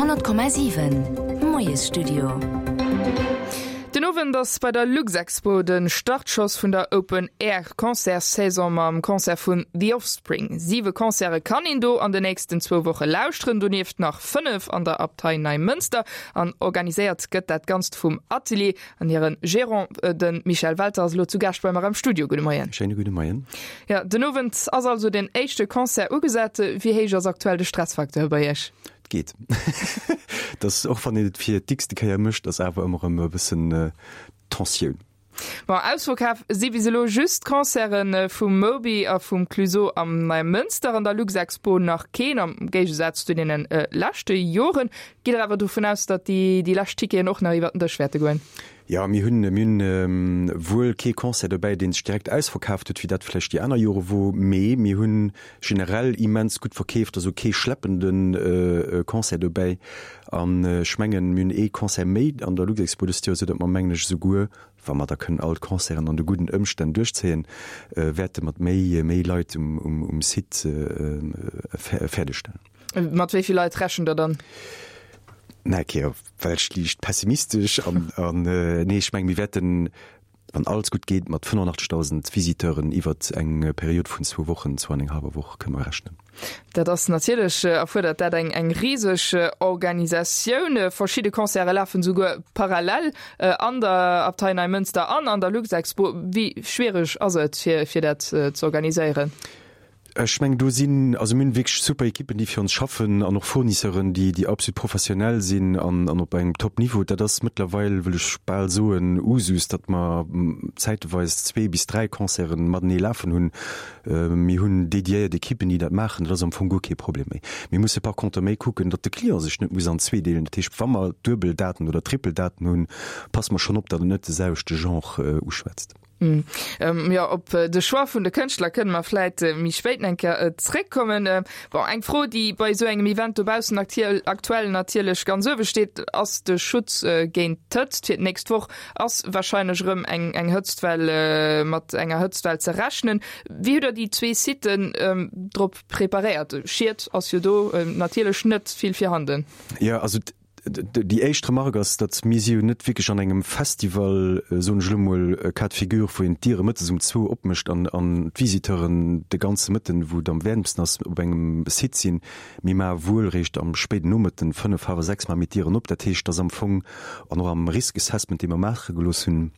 100,7 Moiesstudio. Den Owend ass bei der Luxexpo de Startschoss vun der Open Air Concertssaison mam Concert vun The Offspring. Siwe Concerte kann een do an de nächsten zwou Woche lauschteren, donieft nach 5 an der Abtei Neimënster. An organiséiert gëtt dat Ganzt vum Atelier. An hire Gerant, de Michel Welter, ass elo zu Gaascht bei mer am Studio. Gudde Moien. Schéine gudde Moien. Jo, den Owend ass also den éischte Concert ugesat. Wéi héich ass aktuell de Stressfacteur bei Iech? Et geet. Et ass, och wann een et fir d'x-te Kéier mécht, ass awer ëmmer erëm e bëssen Tensioun. Bon, ausverkaf si bis elo just d'Concerte vum Moby a vum Clueso am Neimënster, an der Luxexpo nach keen, am Géigesaz zu deene leschte Joren. Gitt Der awer dovun aus, datt déi lescht Ticketen och nach iwwer den Dësch wäerte goen? Jo, mir hunn, mir hunn wuel kee Concert dobäi, dee sech direkt ausverkaaft huet, wéi dat vläicht déi aner Jore wor, mee mir hunn generell immens gutt verkeeft, also kee schleppende Concert dobäi. An ech mengen, mir hunn ee Concert méi an der Luxexpo dëst Joer, esou datt mer, mengen ech, esouguer, wa mer da kënnen all d'Concerten an de gudden Ëmstänn duerchzéien, wäerte mat méi, méi Leit um Site fäerdegstellen. Mat wéi vill Leit rechent Der dann? Na, okay, well ech liicht pessimistesch an, an nee, ech mengen, mir wäerten, wann alles gutt geet, mat 85.000 Visiteuren iwwert eng Period vun zwou Wochen, zwou an eng hallwer Woch kënne mer rechnen. Dat ass natierlech, erfuerdert dat eng, eng riseg Organisatioun. Verschidde Concerte lafen esouguer parallel an der Abtei Neimënster an an der Luxexpo. Wéi schwiereg ass et, fir, fir dat ze organiséieren? Ech mengen, do sinn, also mir hunn wierklech super Ekippen, déi fir ons schaffen an och Fournisseuren, déi, déi absolut professionell sinn an, an op engem Top-Niveau. Dat ass mëttlerweil, wëll ech bal soen, Usus, datt mer zäiteweis zwee bis dräi Concerten matenee lafen hunn. Mir hunn dediéiert Ekippen, déi dat maachen. Dat ass am Fong guer kee Problem méi. Mir musse par contre méi kucken, datt de Client sech net muss an zwee deelen. Dat heescht, wa mer duebel Daten oder trippel Daten hunn, passe mer schonn op, datt en net de selwechte Genre uschwätzt. Jo, op de Choix vun de Kënschtler kënne mer vläit méi spéit eng Kéier zréckkommen. Bon, eng Fro, déi bei esou engem Event dobaussen aktuell natierlech ganz uewe steet, ass de Schutz géint d'Hëtzt. Fir d'nächst Woch ass warscheinlech erëm eng Hëtztwell, mat enger Hëtztwell ze rechnen. Wéi hutt Der déi zwee Siten drop preparéiert? Schied ass jo do natierlech net vill virhanden. Jo, also Déi éischt Remarque ass, datt mir si jo net wierklech an engem Festival, soen ech elo mol, Cas de figure, wou een d'Diere mëttes um zwou opmécht an d'Visiteuren de ganze Mëtten, wou et am wäermsten ass, op engem Site sinn. Mir maache wuel réischt am spéiden Nomëtten, fënnef, hallwer sechs, maache mir d'Dieren op. Dat heescht, datt am Fong, an och am Risk Assessment, dee mer maache gelooss hunn,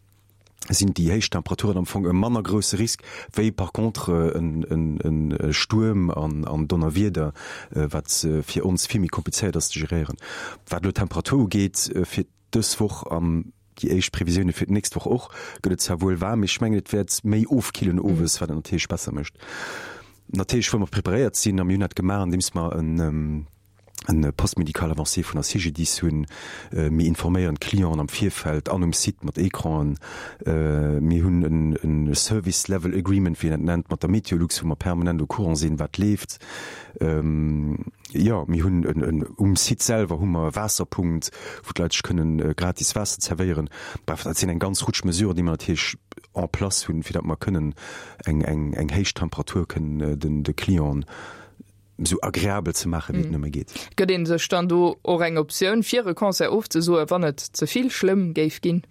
sinn déi héich Temperaturen am Fong e manner grousse Risk wéi par contre e Stuerm an Donnerwieder, wat fir ons vill méi komplizéiert ass ze geréieren. Wat elo d'Temperatur ugeet fir dës Woch an déi éischt Previsioune fir d'nächst Woch och, gëtt et zwar wuel waarm, mee ech mengen et wäert méi ofkillen owes, wat et natierlech besser mécht. Natierlech wëlle mer preparéiert sinn a mir hunn dat gemaach andeems mer en en Poste médical avancé vun der CGDIS hunn. Mir informéieren d'Clienten am Virfeld an um Site mat Ecranen. Mir hunn en Service Level Agreement, wéi een dat nennt, mat der Meteolux, wou mer permanent au courant sinn, wat leeft. Jo, mir hunn en, um Site selwer hu mer e Waasserpunkt, wou d'Leit sech kënnen gratis Waasser zerwéieren. Bref, dat sinn eng ganz Rutsch Mesuren, déi mer natierlech en place hunn, fir datt mer kënnen eng, eng, eng héich Temperatur kënnen den, de Clienten esou agreabel ze maachen, wéi et nëmme geet. Gëtt ee sech dann do och eng Optioun, fir e Concert ofzesoen, wann et ze vill schlëmm géif ginn?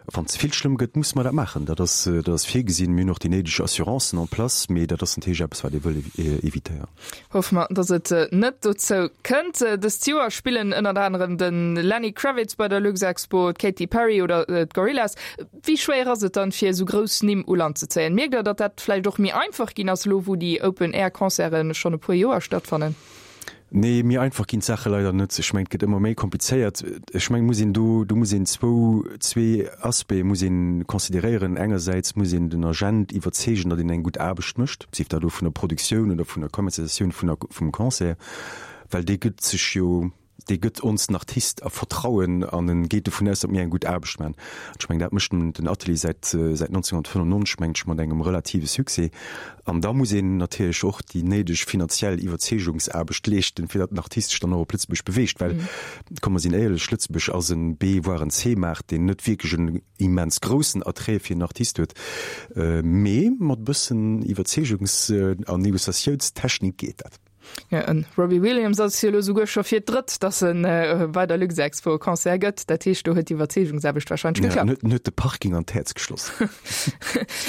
Wann ze vill schlëmm gëtt, musse mer dat maachen. Dat ass, dat ass virgesinn. Mir hunn och déi néideg Assurancen en place, mee dat ass natierlech eppes, wat ee wëll evitéieren. Hoffe mer, datt et net dozou kënnt. Dëst Joer spillen ënnert anerem de Lenny Kravitz bei der Luxexpo, d'Katy Perry oder d'Gorillaz. Wéi schwéier ass et dann, fir esou grouss Nimm u Land ze zéien? Mierkt Der, datt dat vläicht och méi einfach ginn ass, elo wou déi Open-Air-Concerte schonn e puer Joer stattfannen? Nee, méi einfach ginn d'Saache leider net. Ech mengen, et gëtt ëmmer méi komplizéiert. Ech mengen, muss een do, do muss een zwou, zwee Aspecte muss een consideréieren. Engersäits muss een den Agent iwwerzeegen, datt een eng gutt Aarbecht mécht, sief dat elo vun der Produktioun oder vun der Kommerzialisatioun vun der, vum Concert, well dee gëtt sech jo, dee gëtt ons den Artist a Vertrauen an en geet dovun aus, datt mir eng gutt Aarbecht maachen. An ech mengen, dat mécht den Atelier säit säit 1995, mengen ech, mat engem relative Succès. An da muss een natierlech och déi néideg finanziell Iwwerzeegungsaarbecht leeschten, fir datt den Artist sech dann och op Lëtzebuerg beweegt. Well, komm mer sinn éierlech, Lëtzebuerg ass en B voire en C-Maart, deen net wierklech en immens groussen Attrait fir en Artist huet. Mee mat e bëssen Iwwerzeegungs an Negociatiounstechnik geet dat. Jo, en Robbie Williams ass jo elo souguer scho fir d'drëtt, dass en bei der Luxexpo e Concert gëtt. Dat heescht, do huet d'Iwwerzeegungsaarbecht wahrscheinlech geklappt. Ja, en huet de Parking an d'Häerz geschloss.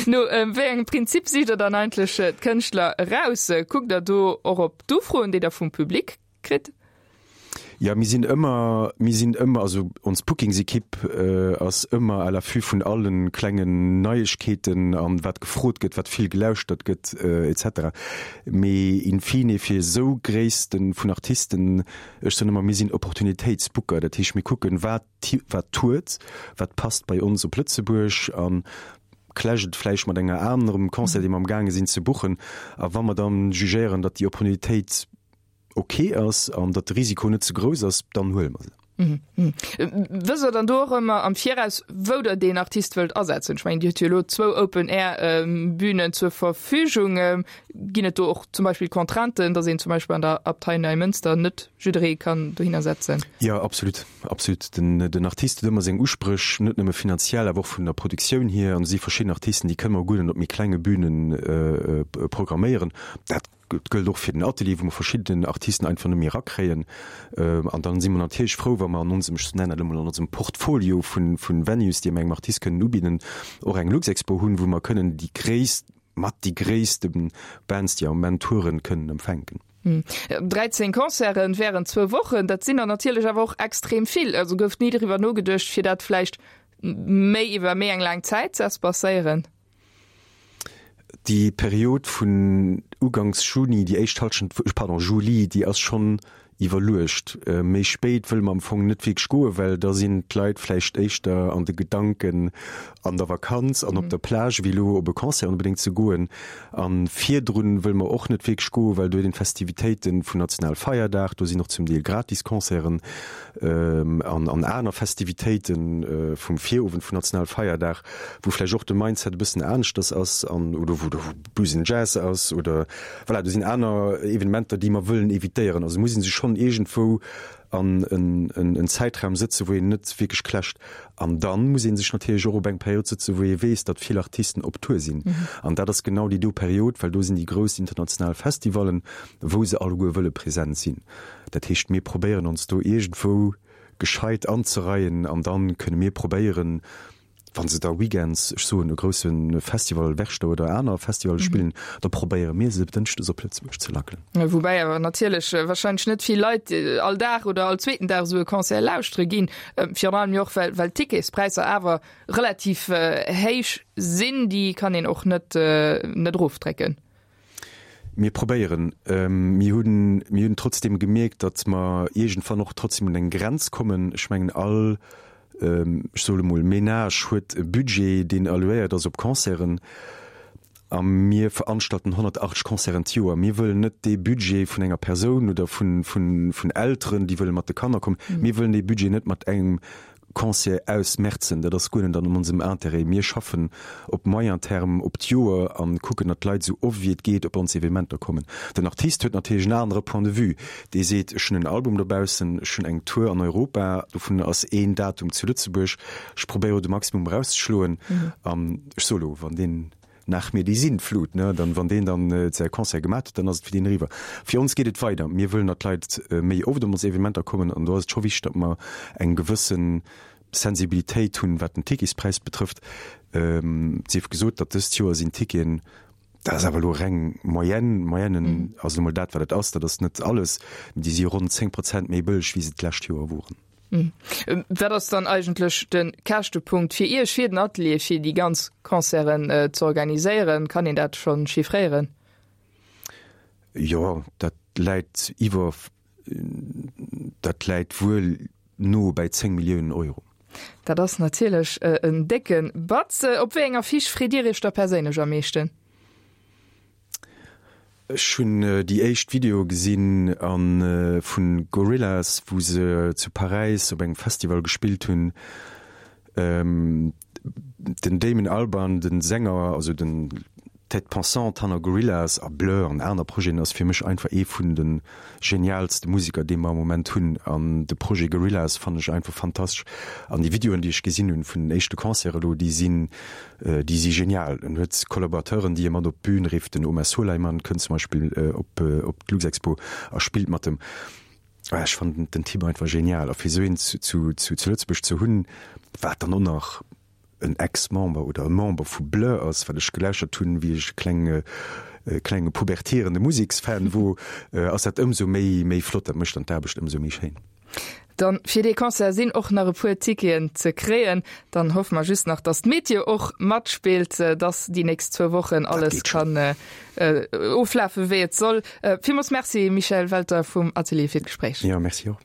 No wéi engem Prinzip sicht der dann eigentlech d'Kënschtler eraus? Kuckt der do och op d'Ufroen, déi der vum Public kritt? Ja, mir sinn ëmmer, mir sinn ëmmer, also ons Bookingsekipp ass ëmmer à l'affût vun alle klengen Neiegkeeten an wat gefrot gëtt, wat vill gelauschtert gëtt et cetera. Mee in fine fir esou Gréisste vun Artisten, ech soen ëmmer, mir sinn Opportunitéitsbooker, dat heescht mir kucken, wat wat tourt, wat passt bei ons op Lëtzebuerg an clasht et vläicht mat enger anerem Concert, dee mer amgaange sinn ze buchen. A wa mer dann jugéieren, datt déi Opportunitéit ok ass an datt de Risiko net ze grouss ass, dann huele mer se. Wësst Der dann do och ëmmer am Viraus, wou Der deen Artist wëllt asetzen? Ech mengen, Dir hutt jo elo zwou Open-Air-Bünen zur Verfügung. Ginn et do och zum Beispill Contrainten, datt een zum Beispill an der Abtei Neimënster net jidderee kann dohinner setzen? Jo, absolut, absolut. Den Artist huet ëmmer seng Uspréch, net nëmme finanziell, awer och vun der Produktioun hier. An et si verschidden Artisten, déi kënne mer guer net op méi klenge Bünen programméieren. Dat Et gëllt och fir den Atelier, wou mer verschidden Artisten einfach net méi erakréien. An dann si mer natierlech frou, wa mer an onsem, ech nennen dat elo mol, an onsem Portfolio vu Venues, déi mer engem Artist kënnen ubidden, och eng Luxexpo hunn, wou mer kënnen déi gréisst, mat déi gréisste Bands, déi am Moment touren, kënnen empfänken. 13 Concerten während zwou Wochen, dat sinn der natierlech awer och extrem vill. Also gouf ni driwwer nogeduecht, fir dat vläicht méi iwwer méi eng laang Zäit ze espacéieren? Déi Period vun uganks Juni, déi éischt Hallschent, pardon, Juli, déi ass schonn iwwerluecht. Méi spéit wëlle mer am Fong net wierklech goen, well da sinn d'Leit vläicht éischter an de Gedanken an der Vakanz an op der Plage, wéi elo op e Concert onbedéngt ze goen. A virdrun wëlle mer och net wierklech goen, well do huet een d'Festivitéite vun Nationalfeierdag, do sinn och zum Deel gratis Concerten an an aner Festivitéite vum Virowend vun Nationalfeierdag. wou vläicht och de Mindset e bëssen aneschters ass an oder wou do Blues and Jazz ass oder voilà, do sinn aner Evenementer, déi mer wëllen evitéieren. Also muss ee sech schonn iergendwou an en, en, en Zäitraum sëtzen, wou een net wierklech clasht. An dann muss ee sech natierlech och op eng Period sëtzen, wou ee weess, datt vill Artisten op Tour sinn. An dat ass genau déi do Period, well do sinn déi grouss international Festivallen, wou se alleguer wëlle present sinn. Dat heescht, mir probéieren ons do iergendwou gescheit anzereien an dann kënne mir probéieren, wa se da weekends, ech soen e grousse Festival, Werchter oder aner Festivalle spillen, da probéiere mir se dënschdes op Lëtzebuerg ze lackelen. Woubäi awer natierlech warscheinlech net vill Leit all Dag oder all zweeten Dag esou e Concert lauschtere ginn, virun allem jo och well well d'Ticketspräisser awer relativ héich sinn, déi kann een och net net erofdrécken. Mir probéieren. Mir hunn, mir hunn trotzdeem gemierkt, datt mer iergendwann och trotzdeem un eng Grenz kommen. Ech mengen, all, ech soe lo mol, Menage huet e Budget, deen allouéiert ass op Concerten. A mir veranstalten 180 Concerten d'Joer. Mir wëllen net dee Budget vun enger Persoun oder vun, vun, vun Elteren, déi wëlle mat de Kanner kommen, mir wëllen dee Budget net mat engem Concert ausmerzen, dat ass guer net an onsem Intérêt. Mir schaffen op moyen terme, op d'Joer a kucken, datt d'Leit esou oft wéi et geet op ons Evenementer kommen. Den Artist huet natierlech en anere Point de vue. Dee seet, ech hunn en Album dobaussen, ech hunn eng Tour an Europa, dovun ass een Datum zu Lëtzebuerg, ech probéiere de Maximum erauszeschloen. An ech soe lo, wann deen Nach mir déi Sintflut, ne, dann, wann deen dann säi Concert gemat huet, dann ass et fir deen eriwwer. Fir ons geet et weider. Mir wëllen, datt d'Leit méi oft op ons Evenementer kommen an do ass et scho wichteg, datt mer eng gewësse Sensibilitéit hunn, wat den Ticketspräis betrëfft. Et sief gesot, datt dëst Joer sinn d'Ticketen, dat ass awer elo reng Moyenne, Moyenne ass elo mol dat, wat et ass, dat ass net alles, mee déi si ronn 10 Prozent méi bëlleg, wéi se d'lescht Joer woren. Wat ass dann eigentlech de Käschtepunkt fir Iech, fir den Atelier, fir déi ganz Concerten ze organiséieren? Kann een dat scho chiffréieren? Jo, dat läit iwwer, dat läit wuel no bäi 10 Milliounen Euro. Dat ass natierlech en décke Batz. Op wéi eng Affiche freet Dir Iech da perséinlech am meeschten? Ech hunn déi éischt Videoe gesinn a vu Gorillaz, wou se zu Paräis op engem Festival gespillt hunn. Den Damon Albarn, de Sänger, also den. D'Tête pensante hanner Gorillaz a Blur an aner Projeten ass fir mech einfach ee vun de genialste Museker dee mer am Moment hunn an de Projet Gorillaz fannen ech einfach fantastesch an déi Videoen déi ech gesinn hunn vun den éischte Concerte elo déi sinn déi si genial. En huet Collaborateuren déi e mat op d'Bün rifft, den Omar Souleyman kënnt zum Beispill op op d'Luxexpo a spillt mat em. Ech fannen den Typ einfach genial a fir esou een zu zu zu Lëtzebuerg ze hunn wat dann och nach en Ex-Member oder e Member vu Blur ass, wat ech gelauschtert hunn, wéi ech e klenge klenge pubertierende Museksfan wor, ass dat ëmsou méi méi flott. Dat mécht dann d'Aarbecht ëmsou méi schéin. Dann fir dee Concert sinn och nach e puer Ticketen ze kréien. Dann hoffe mer just nach, dass d'Meteo och matspillt, dass déi nächst zwou Wochen alles kann oflafe wéi et soll. Villmools Merci Michèle Welter vum Atelier fir d'Gespréich. Jo, merci och.